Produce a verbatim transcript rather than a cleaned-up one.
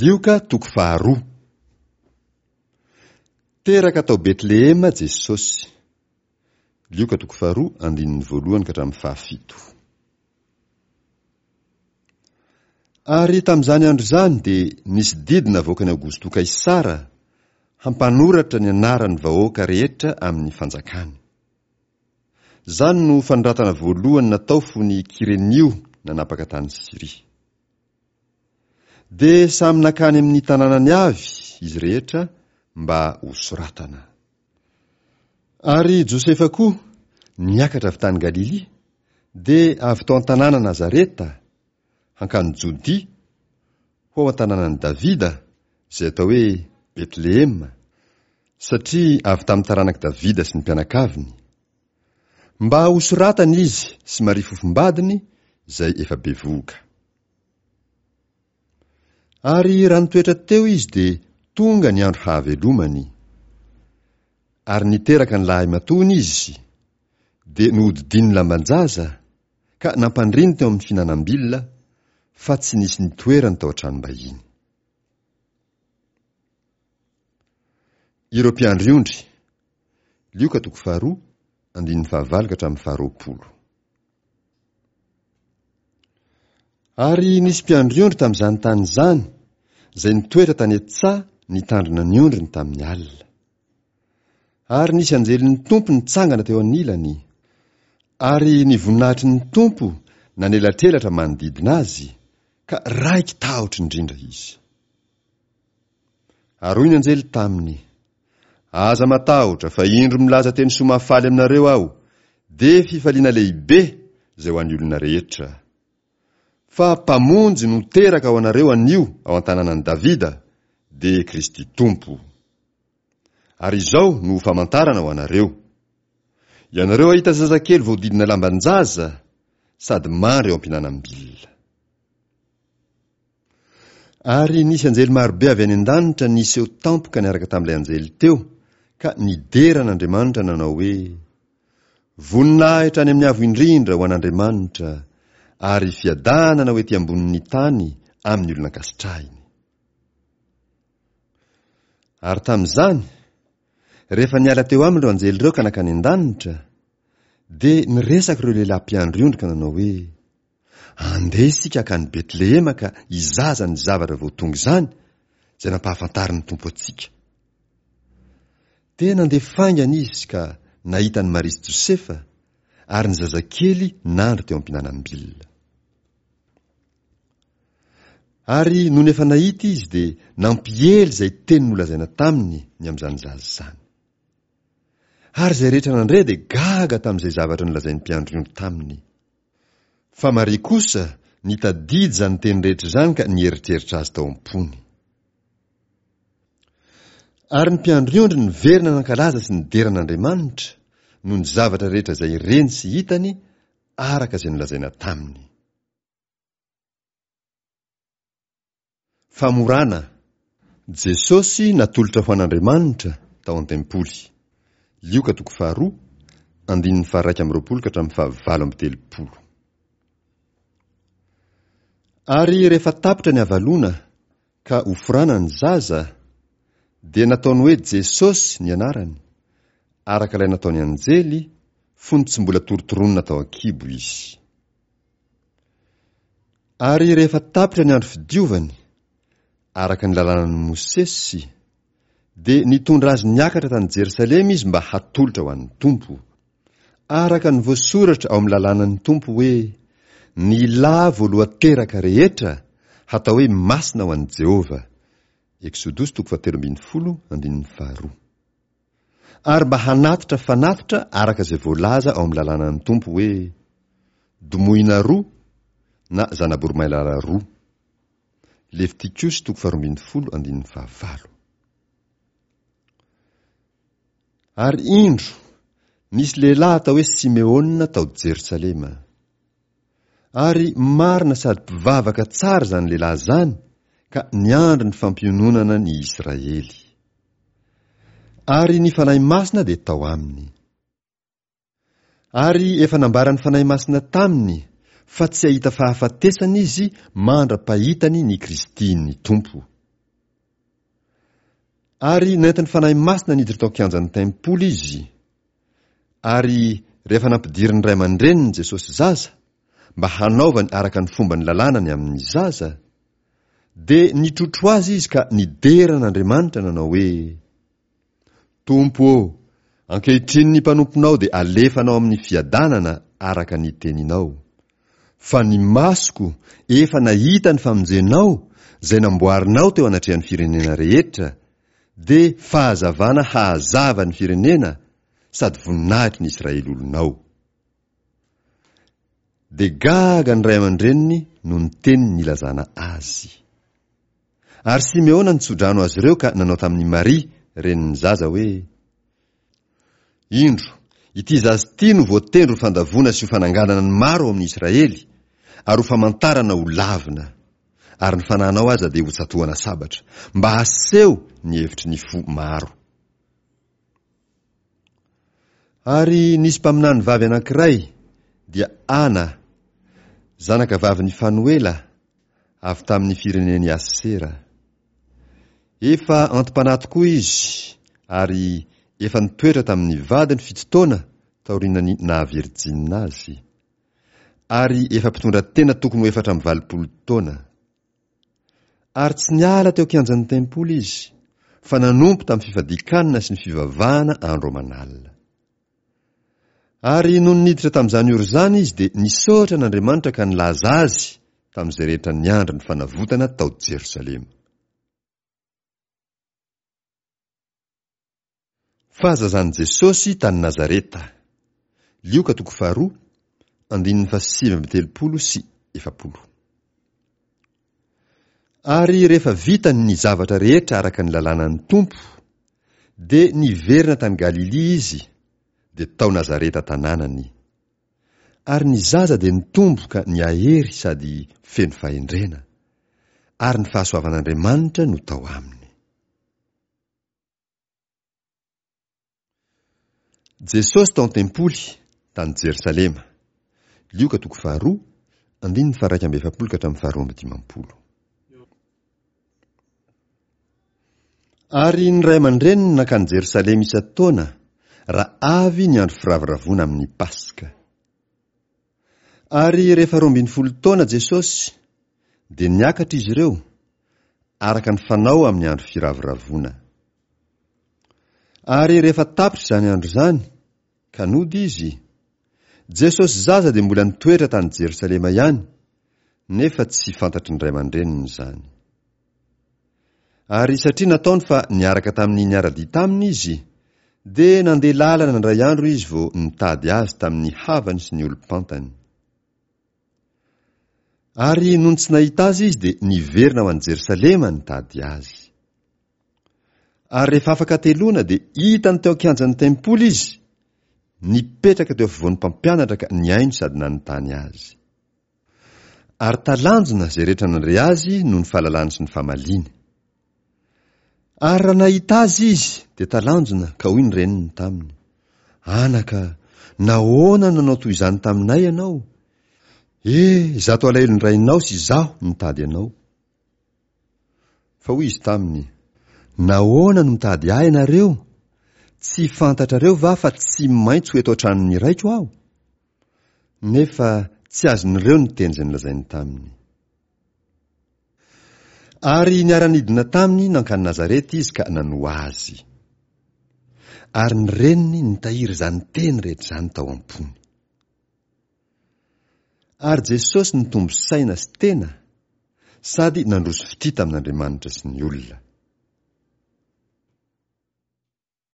Lioka toko faharoa. Teraka tao Betlehema Jesosy. Lioka toko faharoa andininy voalohany ka hatramin'ny fahafito. Ary tamin'izany andro izany dia nisy didy navoakan'i Aogosto Kaisara hampanoratra ny anaran'ny vahoaka rehetra amin'ny fanjakany. Izany no fanoratana voalohany natao fony Kyrenio nanapaka tany Syria. Dia samy nankany amin'ny tanànany avy izy rehetra mba hosoratana. Ary Josefa koa niakatra avy tany Galilia, dia avy tao an-tanàna Nazareta, hankany Jodia, ho ao an-tanànan'i Davida, izay atao hoe Betlehema, satria avy tamin'ny taranak'i Davida sy ny mpianakaviny. Mba hosoratana izy sy Maria fofombadiny, izay efa bevohoka. Ary raha nitoetra teo izy dia tonga ny andro hahavelomany. Ary niteraka ny lahimatoany izy, dia nohodidininy lamban-jaza, ka nampandriny teo amin'ny fihinanam-bilona, fa tsy nisy nitoerany tao an-tranom-bahiny. Ireo mpiandry ondry. Lioka toko faharoa, andininy fahavalo ka hatramin'ny faharoapolo. Ary nisy mpiandry ondry tamin'izany tany izany, izay nitoetra tany an-tsaha nitandrina ny ondriny tamin'ny alina. Ary nisy anjelin'ny Tompo nitsangana teo anilany, ary ny voninahitry ny Tompo nanelatrelatra manodidina azy, ka raiki-tahotra indrindra izy. Ary hoy ny anjely taminy, Aza matahotra, fa indro milaza teny soa mahafaly aminareo aho, dia fifaliana lehibe izay ho an'ny olona rehetra. Fa Mpamonjy no teraka ho anareo anio ao an-tanànan'i Davida, dia Kristy Tompo. Ary izao no ho famantarana ho anareo, Ianareo hahita zazakely voahodidina lamban-jaza sady mandry eo am-pihinanam-bilona. Ary nisy anjely marobe avy any an-danitra niseho tampoka niaraka tamin'ilay anjely teo, ka nidera an'Andriamanitra nanao hoe, Voninahitra any amin'ny Avo Indrindra ho an'Andriamanitra, ary fiadanana ho ety ambonin'ny tany amin'ny olona ankasitrahiny. Ary tamin'izany, rehefa niala teo aminy ireo anjely ireo ka nankany an-danitra, dia niresaka ireo lehilahy mpiandry ondry ka nanao hoe, Andeha isika hankany Betlehema ka hizaza ny zavatra vao tonga izany, izay nampahafantarin'ny Tompo antsika. Dia nandeha faingana izy ka nahita an'i Maria sy Josefa, ary ny zazakely nandry teo am-pihinanam-bilona. Ary nony efa nahita izy dia nampiely izay teny nolazaina taminy ny amin'izany zaza izany. Ary izay rehetra nandre dia gaga tamin'izay zavatra nolazain'ny mpiandry ondry taminy. Fa Maria kosa nitadidy izany teny rehetra izany ka nieritreritra azy tao am-pony. Ary ny mpiandry ondry niverina nankalaza sy nidera an'Andriamanitra noho ny zavatra rehetra izay reny sy hitany araka izay nolazaina taminy. Famorana, Jesosy natolotra ho an'Andriamanitra tao an-tempoly. Lioka toko faharoa, andininy faharaika amby roapolo ka hatramin'ny fahavalo amby telopolo. Ary rehefa tapitra ny havaloana ka hoforana ny zaza, dia nataony hoe Jesosy ny anarany, araka ilay nataon'ny anjely fony tsy mbola torotoronina tao an-kibo izy. Ary rehefa tapitra ny andro fidiovany, araka ny lalànan'i Mosesy, dia nitondra azy niakatra tany Jerosalema izy mba hatolotra ho an'ny Tompo. Araka ny voasoratra ao amin'ny lalànan'ny Tompo hoe, Ny lahy voalohan-teraka rehetra hatao hoe masina ho an'i Jehovah. Eksodosy toko fahatelo ambin'ny folo andininy faharoa. Ary mba hanatitra fanatitra araka izay voalaza ao amin'ny lalànan'ny Tompo hoe, Domohina roa na zana-boromailala roa. Levitikosy toko faharoa ambin'ny folo andininy fahavalo. Ary indro, nisy lehilahy atao hoe Simeona tao Jerosalema. Ary marina sady mpivavaka tsara izany lehilahy izany ka niandry ny fampiononana ny Israely. Ary ny Fanahy Masina dia tao aminy. Ary efa nambaran'ny Fanahy Masina taminy fa tsy hahita fahafatesana izy mandra-pahitany ny Kristin'ny Tompo. Ary nentin'ny Fanahy Masina niditra tao an-kianjan'ny tempoly izy, ary rehefa nampidirin'ny ray aman-dreniny Jesosy zaza, mba hanaovany araka ny fomban'ny lalàna ny amin'ny zaza, dia nitrotro azy izy ka nidera an'Andriamanitra nanao hoe, Tompo ô, ankehitriny ny mpanomponao dia alefanao amin'ny fiadanana araka ny teninao. Fa ny masoko efa nahita ny famonjenao izay namboarinao teo anatrehan'ny firenena rehetra, dia fahazavana hahazava ny firenena sady voninahitry ny Israely olonao. Dia gaga ny ray aman-dreniny noho ny teny nilazana azy. Ary Simeona nitsodrano azy ireo ka nanao tamin'i Maria, renin'ny zaza, hoe, Indro, ity zaza ity no voatendry ho fandavoana sy ho fananganana ny maro ao amin'ny Israely, ary ho famantarana ho lavina, ary ny fanahinao aza dia hotsatohana sabatra, mba haseho ny hevitry ny fo maro. Ary nisy mpaminany vavy anankiray, dia Ana, zanaka vavin'i Fanoela, avy tamin'ny firenen'i Asera. Efa anti-panahy tokoa izy ary efa nitoetra tamin'ny vadiny fito taona taorian'ny naha-virjinina azy, ary efa mpitondra tena tokony ho efatra amby valopolo taona. Ary tsy niala teo an-kianjan'ny tempoly izy, fa nanompo tamin'ny fifadian-kanina sy ny fivavahana andro aman'alina. Ary nony niditra tamin'izany ora izany izy dia nisaotra an'Andriamanitra ka nilaza azy tamin'izay rehetra niandry ny fanavotana tao Jerosalema. Fahazazan'i Jesosy tany Nazareta. Lioka toko faharoa, andininy fahasivy amby telopolo sy efapolo. Ary rehefa vitany ny zavatra rehetra araka ny lalànan'ny Tompo, dia niverina tany Galilia izy, dia tao Nazareta tanànany. Ary ny zaza dia nitombo ka nihahery sady feno fahendrena, ary ny fahasoavan'Andriamanitra no tao aminy. Jesosy tao an-tempoly, tany Jerosalema. Lioka toko faharoa, andininy faha-iraika amby efapolo ka hatramin'ny faharoa amby dimampolo. Ary ny ray aman-dreniny nankany Jerosalema isan-taona, raha avy ny andro firavoravoana amin'ny Paska. Ary rehefa roa ambin'ny folo taona Jesosy, dia niakatra izy ireo, araka ny fanao amin'ny andro firavoravoana. Ary rehefa tapitra izany andro izany, ka nody izy, Jesosy zaza dia mbola nitoetra tany Jerosalema ihany, nefa tsy fantatry ny ray aman-dreniny izany. Ary satria nataony fa niaraka tamin'ny niara-dia taminy izy, dia nandeha lalana indray andro izy vao nitady azy tamin'ny havany sy ny olom-pantany. Ary nony tsy nahita azy izy dia niverina ho any Jerosalema nitady azy. Ary rehefa afaka hateloana dia hitany teo an-kianjan'ny tempoly izy, nipetraka teo afovoan'ny mpampianatra ka nihaino sady nanontany azy. Ary talanjona izay rehetra nandre azy noho ny fahalalany sy ny famaliany. Ary raha nahita azy izy dia talanjona ka hoy ny reniny taminy, Anaka, nahoana no nanao toy izany taminay ianao? E, izato alahelon-drainao sy izaho nitady anao. Fa hoy izy taminy, Nahoana no mitady ahy ianareo? Tsy fantatrareo va fa tsy maintsy ho eto an-tranon'ny raiko aho? Nefa tsy azon'ireo ny teny izay nolazainy taminy. Ary niara-nidina taminy nankany Nazareta izy ka nanoa azy. Ary ny reniny nitahiry izany teny rehetra izany tao am-pony. Ary Jesosy nitombo saina sy tena, sady nandroso fitia tamin'Andriamanitra sy ny olona.